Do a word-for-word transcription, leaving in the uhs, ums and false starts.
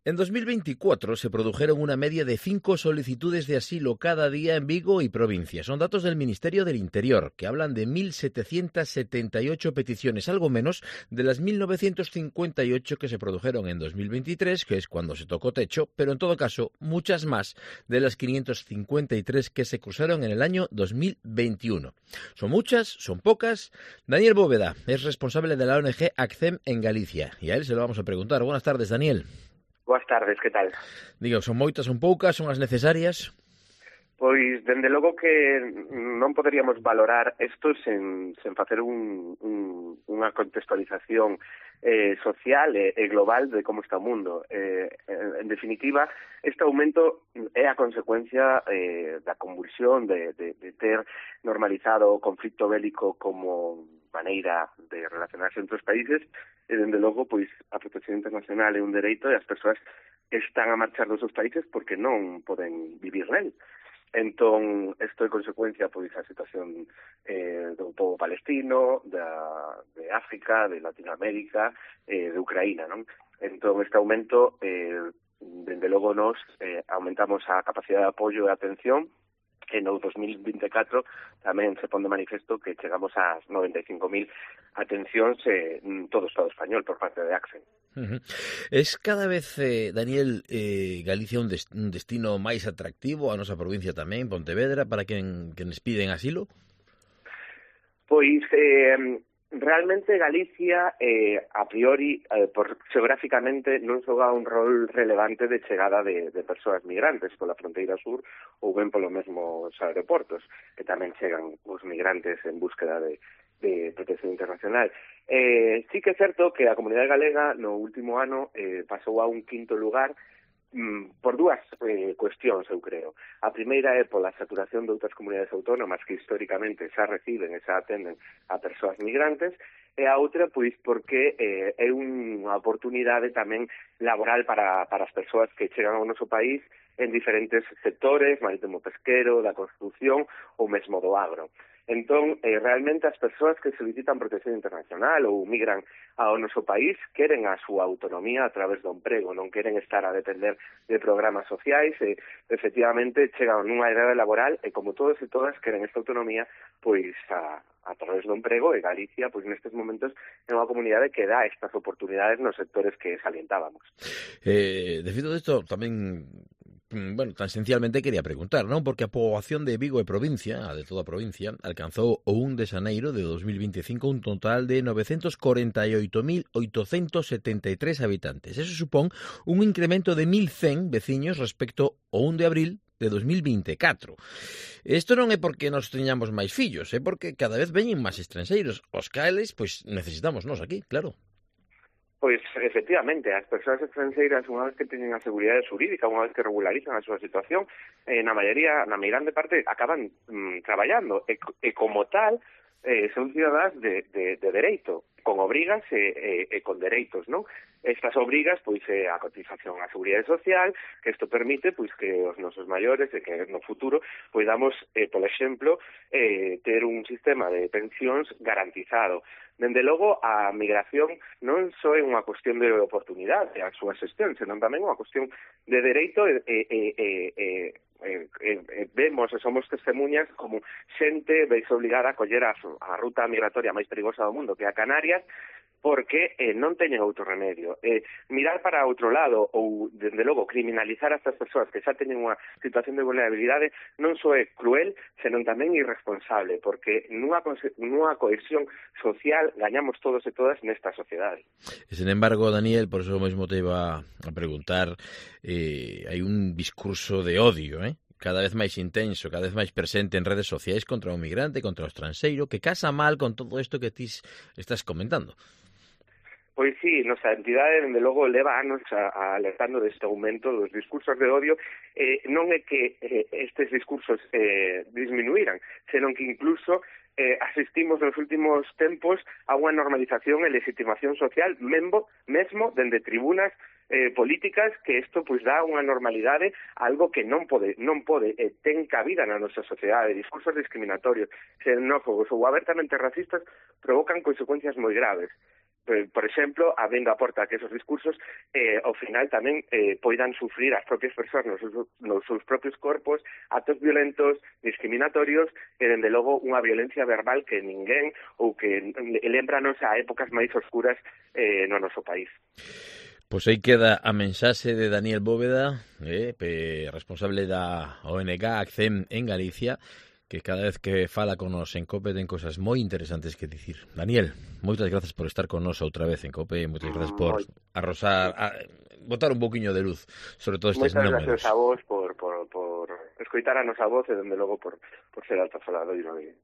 En dos mil veinticuatro se produjeron una media de cinco solicitudes de asilo cada día en Vigo y provincia. Son datos del Ministerio del Interior, que hablan de mil setecientas setenta y ocho peticiones, algo menos de las mil novecientas cincuenta y ocho que se produjeron en dos mil veintitrés, que es cuando se tocó techo, pero en todo caso, muchas más de las quinientas cincuenta y tres que se cruzaron en el año dos mil veintiuno. ¿Son muchas? ¿Son pocas? Daniel Bóveda es responsable de la O N G ACCEM en Galicia, y a él se lo vamos a preguntar. Buenas tardes, Daniel. Boas tardes, que tal? Digo, son moitas, son poucas, son as necesarias? Pois, dende logo que non poderíamos valorar isto sen, sen facer un, un, unha contextualización eh, social e, e global de como está o mundo. Eh, en definitiva, este aumento é a consecuencia eh, da convulsión de, de, de ter normalizado o conflito bélico como maneira de relacionarse entre os países e, dende logo, pois, a protección internacional é un dereito e as persoas están a marchar dos seus países porque non poden vivir nel. Entón, isto é consecuencia pois a situación eh, do povo palestino, da, de África, de Latinoamérica, eh, de Ucraína, non? Entón, este aumento, eh, dende logo nos eh, aumentamos a capacidade de apoio e atención. En o dos mil veinticuatro tamén se pon de manifesto que chegamos ás noventa e cinco mil atencións eh, en todo o Estado español por parte de ACCEM. Uh-huh. Es cada vez, eh, Daniel, eh, Galicia un, des un destino máis atractivo, a nosa provincia tamén, Pontevedra, para quen, quen les piden asilo? Pois, eh, realmente Galicia, eh, a priori, eh, por xeográficamente, non xoga un rol relevante de chegada de, de persoas migrantes pola fronteira sur ou ben polo mesmo os aeroportos, que tamén chegan os migrantes en búsqueda de, de protección internacional. Eh, sí que é certo que a comunidade galega no último ano eh, pasou a un quinto lugar por dúas eh, cuestións, eu creo. A primeira é pola saturación de outras comunidades autónomas que históricamente xa reciben e xa atenden a persoas migrantes, e a outra, pois, porque eh, é unha oportunidade tamén laboral para, para as persoas que chegan ao noso país en diferentes sectores, marítimo pesquero, da construción ou mesmo do agro. Entón, eh, realmente as persoas que solicitan protección internacional ou migran ao noso país queren a súa autonomía a través do emprego, non queren estar a depender de programas sociais e, efectivamente, chegan nunha idade laboral e, como todos e todas, queren esta autonomía pois a, a través do emprego, e Galicia, pois nestes momentos, é unha comunidade que dá estas oportunidades nos sectores que salientábamos. Eh, de feito, isto tamén... Bueno, tan esencialmente quería preguntar, non? Porque a poboación de Vigo e provincia, a de toda a provincia, alcanzou o un de xaneiro de dos mil veinticinco un total de novecentos corenta e oito mil oitocentos setenta e tres habitantes. Eso supón un incremento de mil cen veciños respecto ao un de abril de dos mil veinticuatro. Isto non é porque nos teñamos máis fillos, é porque cada vez veñen máis estranxeiros. Os cales, pois, necesitamos nós aquí, claro. Pois, efectivamente, as persoas estranxeiras, unha vez que teñen a seguridade xurídica, unha vez que regularizan a súa situación, eh, na maioría, na meirande parte, acaban mm, traballando, e, e como tal, eh, son cidadás de, de, de dereito, con obrigas e, e, e con dereitos, non? Estas obrigas, pois, é a cotización á seguridade social, que isto permite, pois, que os nosos maiores, e que no futuro, poidamos, eh, por exemplo, eh, ter un sistema de pensións garantizado. Dende logo, a migración non só é unha cuestión de oportunidade a súa xestión, senón tamén unha cuestión de dereito e, e, e, e, e, e, e vemos e somos testemunhas como xente veis obligada a coller a, a ruta migratoria máis perigosa do mundo, que é a Canarias, porque eh, non teñen outro remedio. Eh, mirar para outro lado ou, dende logo, criminalizar a estas persoas que xa teñen unha situación de vulnerabilidade non só é cruel, senón tamén irresponsable, porque nunha, nunha cohesión social gañamos todos e todas nesta sociedade. E, sin embargo, Daniel, por eso mesmo te iba a preguntar, eh, hai un discurso de odio, eh? cada vez máis intenso, cada vez máis presente en redes sociais contra o migrante, contra o estranxeiro, que casa mal con todo isto que ti estás comentando. Pois sí, nosa entidade, dende logo, leva anos a, a alertando deste aumento dos discursos de odio. Eh, non é que eh, estes discursos eh, disminuíran, senón que incluso eh, asistimos nos últimos tempos a unha normalización e legitimación social membo, mesmo dende tribunas eh, políticas, que isto pois dá unha normalidade a algo que non pode, non pode eh, ten cabida na nosa sociedade. Discursos discriminatorios, xenófobos ou abertamente racistas provocan consecuencias moi graves. por exemplo, habendo a porta que esos discursos eh, ao final tamén eh, poidan sufrir as propias persoas nos seus, nos seus propios corpos actos violentos, discriminatorios e, dende logo, unha violencia verbal que ninguén ou que lembranos a épocas máis oscuras eh, no noso país. Pois aí queda a mensaxe de Daniel Bóveda, eh, responsable da O N G ACCEM en Galicia, que cada vez que fala con nos en COPE ten cosas moi interesantes que dicir. Daniel, moitas grazas por estar con nos outra vez en COPE, moitas grazas por arrosar, a, botar un pouquiño de luz sobre todo estes números. Moitas grazas a vos por, por, por escoitar a nosa voz e, dende logo, por, por ser altafaladoiro de,